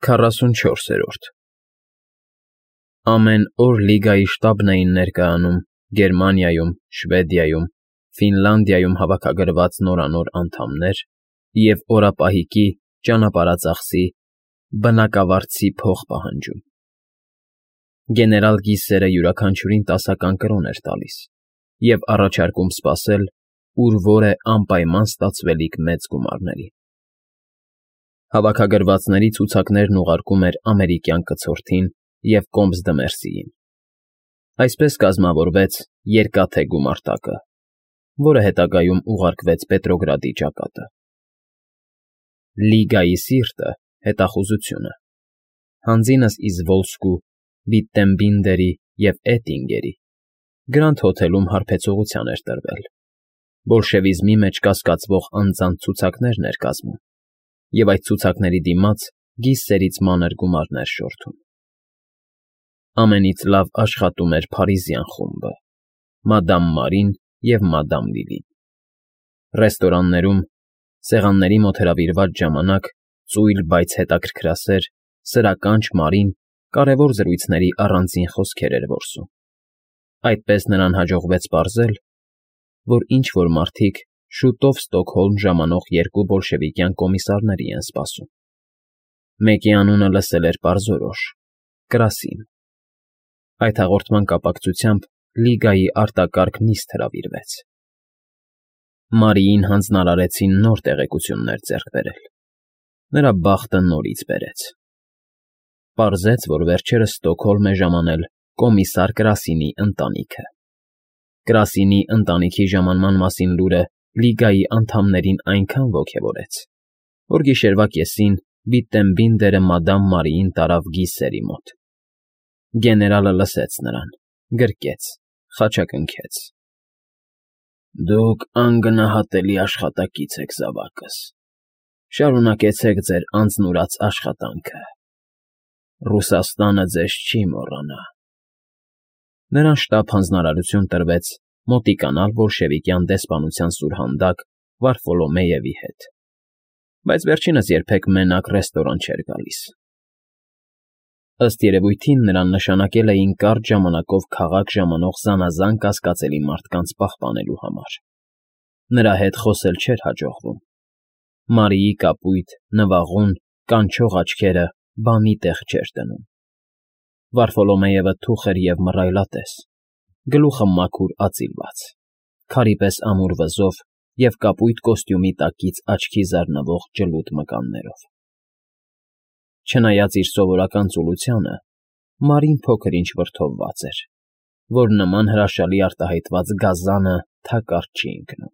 44 Ամեն օր Լիգայի շտաբն էին ներկայանում Գերմանիայում, Շվեդիայում, Ֆինլանդիայում հավաքագրված նորանոր անդամներ և օրապահիկի, ճանապարհածախսի, բնակավարձի փող պահանջում։ Գեներալ Գիսերը յուրաքանչյուրին 10 կրոն էր տալիս և առաջարկում սպասել, ուր որ է անպայման ստացվելիք մեծ գումարների։ Հավաքագրվածների ցուցակներն ուղարկում էր ամերիկյան կցորդին և Կոմս֊դը֊Մերսիին։ Այսպես կազմավորվեց Երկաթե գումարտակը, որը հետագայում ուղարկվեց Պետրոգրադի ճակատը։ Լիգայի սիրտը հետախուզությունը, հանձինս Իզվոլսկու, Վիտտենբինդերի և Էտինգերի Գրանդ հոթելում հարբեցողության էր տրվել, բոլշևիզմի մեջ կասկածվող անձանց ցուցակներն էր կազմում և այդ ցուցակների դիմաց Գիսերից մանր գումարներ շորթում։ Ամենից լավ աշխատում էր Փարիզյան խումբը՝ Մադամ Մարին և Մադամ Լիլին։ Ռեստորաններում, սեղանների մոտ հրավիրված ժամանակ ծույլ, բայց հետաքրքրասեր, սրականչ Մարին կարևոր զրույցների առանձին խոսքեր էր որսում։ Այդպես նրան հաջողվեց պարզել, որ ինչ֊որ մարդիկ շուտով Ստոկհոլմ ժամանող 2 բոլշևիկյան կոմիսարների են սպասում։ Մեկի անունը լսել էր պարզորոշ՝ Կրասին։ Այդ հաղորդման կապակցությամբ Լիգայի արտակարգ նիստ հրավիրվեց։ Մարիին հանձնարարեցին նոր տեղեկություններ ձեռք բերել։ Նրա բախտը նորից բերեց։ Պարզեց, որ վերջերս Ստոկհոլմ է ժամանել կոմիսար Կրասինի ընտանիքը։ Կրասինի ընտանիքի ժամանման մասին լուրը Լիգայի անդամներին այնքան ոգևորեց, որ գիշերվա կեսին Վիտտենբինդերը Մադամ Մարիին տարավ Գիսերի մոտ։ Գեներալը լսեց նրան, գրկեց, խաչակնքեց. Դուք անգնահատելի աշխատակից եք, զավակս։ Շարունակեցեք ձեր անձնուրաց աշխատանքը։ Ռուսաստանը ձեզ չի մոռանա։ Նրան շտապ հանձնարարություն տրվեց մոտիկանալ բոլշևիկյան դեսպանության սուրհանդակ Վարֆոլոմեևի հետ, բայց վերջինս երբեք մենակ ռեստորան չէր գալիս։ Ըստ երևույթին նրան նշանակել էին կարճ ժամանակով քաղաք ժամանող զանազան կասկածելի մարդկանց պահպանելու համար։ Նրա հետ խոսել չէր հաջողվում։ Մարիի կապույտ, նվաղուն, կանչող աչքերը բանի տեղ չէր դնում։ Վարֆոլոմեևը թուխ էր և մռայլատես, գլուխը մաքուր ածիլված, քարի պես ամուր վզով և կապույտ կոստյումի տակից աչքի զարնվող ջլուդ մկաններով։ Չնայած իր սովորական ծուլությանը, Մարին փոքր-ինչ վրդովված էր, որ նման հրաշալի արտահայտված գազանը թակարդ չի ընկնում։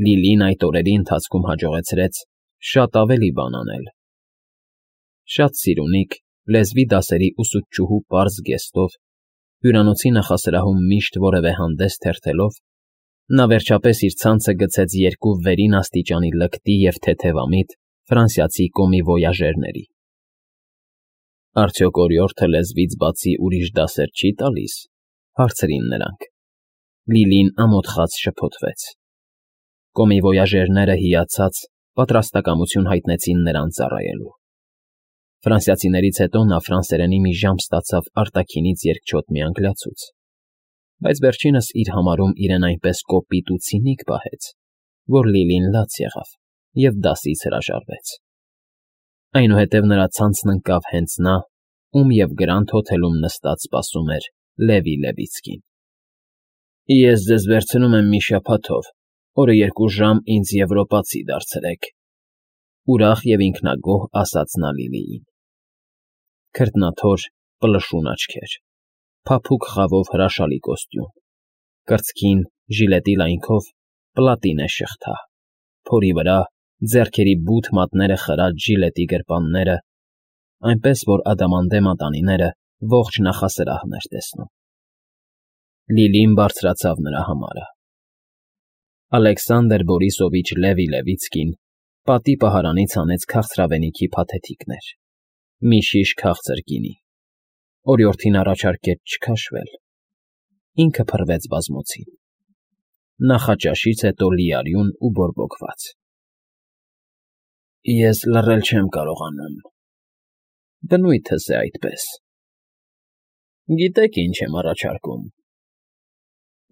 Լիլին այդ օրերի ընթացքում հաջողեցրեց շատ ավելի բան անել։ Շատ սիրունիկ, լեզվի դասերի ուսուցչուհու պարզ գեստով, հյուրանոցի նախասրահում միշտ որևէ հանդես թերթելով, նա վերջապես իր ցանցը գցեց 2 վերին աստիճանի լկտի և թեթևամիտ ֆրանսիացի կոմիվոյաժերների։ Արդյոք օրիորդը լեզվից բացի ուրիշ դասեր չի տալիս, հարցրին նրանք։ Լիլին ամոթխած շփոթվեց։ Կոմիվոյաժերները հիացած պատրաստակամություն հայտնեցին նրան ծառայելու։ Ֆրանսիացիներից հետո նա ֆրանսերենի մի ժամ ստացավ արտաքինից երկչոտ մի անգլիացուց, բայց վերջինս իր համարում իրեն այնպես կոպիտ ու ցինիկ պահեց, որ Լիլին լաց եղավ և դասից հրաժարվեց։ Այնուհետև նրա ցանցն ընկավ հենց նա, ում և Գրանդ հոթելում նստած սպասում էր Լևի Լևիցկին։ Ես ձեզ վերցնում եմ մի շաբաթով, օրը 2 ժամ ինձ եվրոպացի դարձրեք, ուրախ և ինքնագոհ ասաց նա Լիլիին։ Քրտնաթոր, պլշուն աչքեր, փափուկ խավով հրաշալի կոստյում, կրծքին, ժիլետի լայնքով, պլատինե շղթա, փորի վրա, ձեռքերի բութ մատները խրած ժիլետի գրպանները, այնպես որ ադամանդե մատանիները ողջ նախասրահն էր տեսնում։ Լիլին բարձրացավ նրա համարը։ Ալեքսանդր Բորիսովիչ Լևի Լևիցկին պատի պահարանից հանեց քաղցրավենիքի փաթեթիկներ, մի շիշ քաղցր գինի, օրիորդին առաջարկեց չքաշվել։ Ինքը փռվեց բազմոցին։ Նախաճաշից հետո լիարյուն ու բորբոքված։ Ես լռել չեմ կարողանում, Բնույթս է այդպես։ Գիտեք ինչ եմ առաջարկում։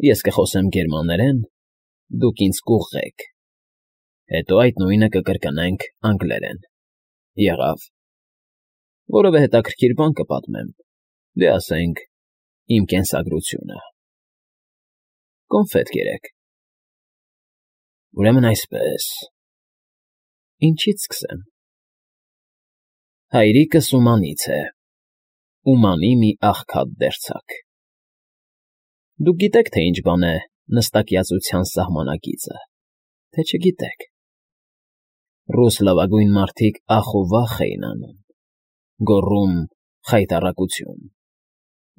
Ես կխոսեմ գերմաներեն, դուք ինձ կուղղեք, հետո այդ նույնը կկրկնենք անգլերեն։ Եղավ։ Որևէ հետաքրքիր բան կպատմեմ, դե ասենք իմ կենսագրությունը։ Կոնֆետ կերեք։ Ուրեմն այսպես։ Ինչից սկսեմ։ Հայրիկս Ումանից է, Ումանի մի աղքատ դերձակ։ Դուք գիտեք, թե ինչ բան է նստակյացության սահմանակիցը, թե չգիտեք։ Ռուս լավագույն մարդիկ ախ ու վախ էին անում, գոռում խայտառակություն,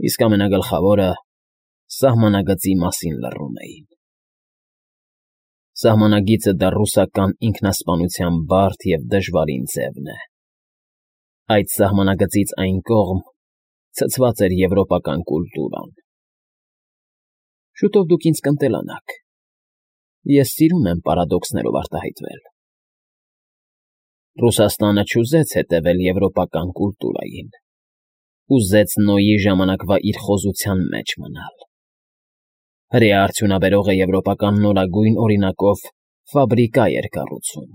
իսկ ամենագլխավորը սահմանագծի մասին լռում էին։ Սահմանագիծը դա ռուսական ինքնասպանության բարդ և դժվարին ձևն է։ Այդ սահմանագծից այն կողմ ցցված էր եվրոպական կուլտուրան։ Շուտով դուք ինձ կընտելանաք։ Ես սիրում եմ պարադոքսներով արտահայտվել։ Ռուսաստանը չուզեց հետևել եվրոպական կուլտուրային, ուզեց Նոյի ժամանակվա իր խոզության մեջ մնալ։ Հրեա արդյունաբերողը եվրոպական նորագույն օրինակով ֆաբրիկա էր կառուցում։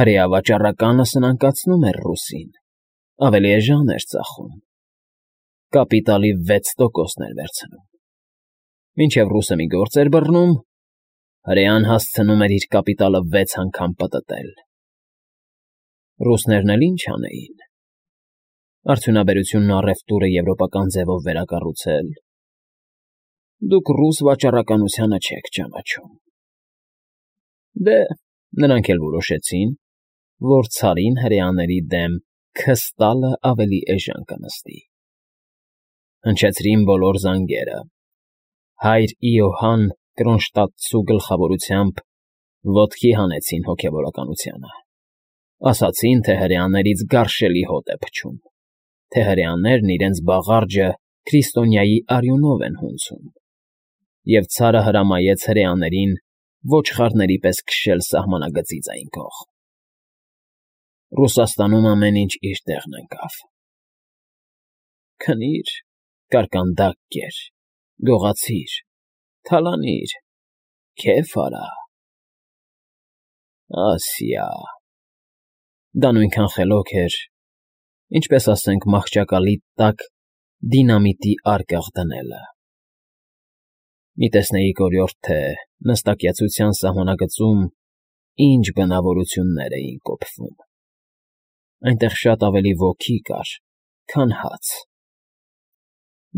Հրեա վաճառականը սնանկացնում էր ռուսին, ավելի էժան էր ծախում։ Կապիտալի 6%-ն էր վերցնում։ Մինչև ռուսը մի գործ էր բռնում, հրեան հասցնում էր իր կապիտալը 6 անգամ պտտել։ Ռուսներն էլ ինչ անեին։ Արդյունաբերությունն ու առևտուրը եվրոպական ձևով վերակառուցել։ Դուք ռուս վաճառականությանը չեք ճանաչում։ Դե, նրանք էլ որոշեցին, որ ցարին հրեաների դեմ քստալը ավելի էժան կնստի։ Հնչեցրին բոլոր զանգերը։ Հայր Իոհան Կրոնշտադտցու գլխավորությամբ ոտքի հանեցին հոգևորականությանը։ Ասացին, թե հրեաներից գարշելի հոտ է փչում, թե հրեաներն իրենց բաղարջը քրիստոնյայի արյունով են հունցում, և ցարը հրամայեց հրեաներին ոչխարների պես քշել սահմանագծից այն կողմ։ Ռուսաստանում ամեն ինչ իր տեղն ընկավ։ Քնիր, կարկանդակ կեր, գողացիր, թալանիր, քեֆ արա։ Ասիա։ Դա նույնքան խելոք էր, ինչպես ասենք մահճակալի տակ դինամիտի արկղ դնելը։ Մի տեսնեիք օրիորդ, թե նստակյացության սահմանագծում ինչ բնավորություններ էին կոփվում։ Այնտեղ շատ ավելի ոգի կար, քան հաց։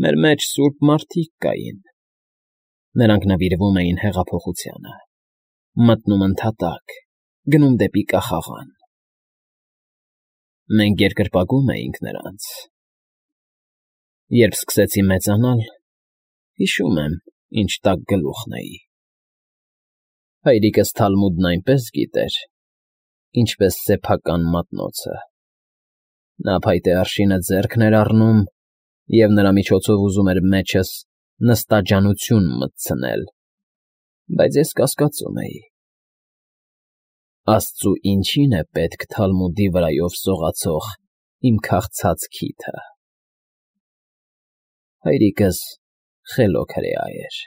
Մեր մեջ սուրբ մարդիկ կային։ Նրանք նվիրվում էին հեղափոխությանը, մտնում ընդհատակ, գնում դեպի կախաղան։ Մենք երկրպագում էինք նրանց։ Երբ սկսեցի մեծանալ, հիշում եմ, ինչ տաք գլուխն էի։ Հայրիկս Թալմուդն այնպես գիտեր, ինչպես սեփական մատնոցը։ Նա փայտե արշինը ձեռքն էր առնում և նրա միջոցով ուզում էր մեջս նստաջանություն մտցնել, բայց ես կասկածում էի։ Աստծու ինչի՞ն է պետք Թալմուդի վրայով սողացող իմ քաղցած քիթը։ Հայրիկս խելոք հրեա էր։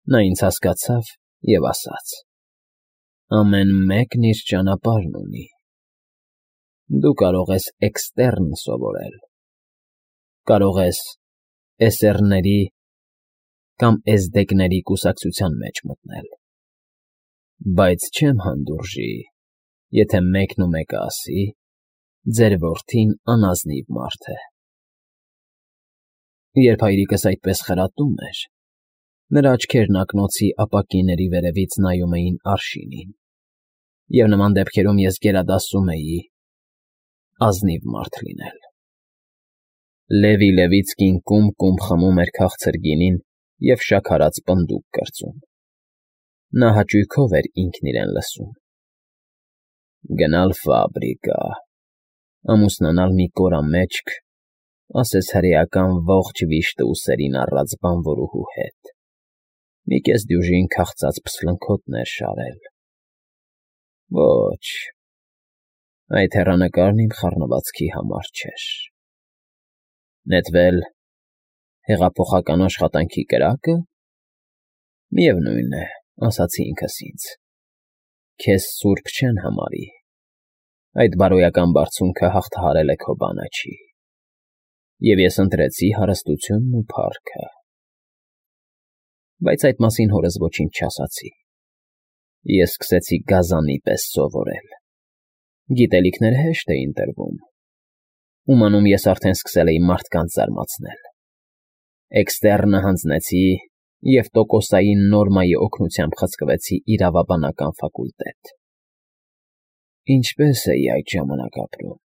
Նա ինձ հասկացավ և ասաց. ամեն մեկն իր ճանապարհն ունի։ Դու կարող ես էքստերն սովորել, կարող ես էսերների կամ էզդեկների կուսակցության մեջ մտնել, բայց չեմ հանդուրժի, եթե մեկն ու մեկը ասի. ձեր որդին անազնիվ մարդ է։ Երբ հայրիկս այդպես խրատում էր, նրա աչքերն ակնոցի ապակիների վերևից նայում էին արշինին, և նման դեպքերում ես գերադասում էի ազնիվ մարդ լինել։ Լևի Լևիցկին կում խմում էր քաղցր գինին և շաքարած պնդուկ կրծում։ Նա հաճույքով էր ինքն իրեն լսում։ Գնալ ֆաբրիկա, ամուսնանալ մի կորամեջք, ասես հրեական ողջ վիշտը ուսերին առած բանվորուհու հետ, մի կես դյուժին քաղցած փսլնքոտներ շարել։ Ոչ, Այդ հեռանկարն իմ խառնվածքի համար չէր։ Նետվել հեղափոխական աշխատանքի կրակը։ Միևնույն է, ասացի ինքս ինձ, քեզ սուրբ չեն համարի, այդ բարոյական բարձունքը հաղթահարել է քո բանաչի, և ես ընտրեցի հարստությունն ու փառքը։ Բայց այդ մասին հորս ոչինչ չասացի։ Ես սկսեցի գազանի պես սովորել։ Գիտելիքները հեշտ էին տրվում։ Ումանում ես արդեն սկսել էի մարդկանց զարմացնել։ Էքստեռնը հանձնեցի և տոկոսային նորմայի օգնությամբ խցկվեցի իրավաբանական ֆակուլտետ։ Ինչպե՞ս էի այդ ժամանակ ապրում։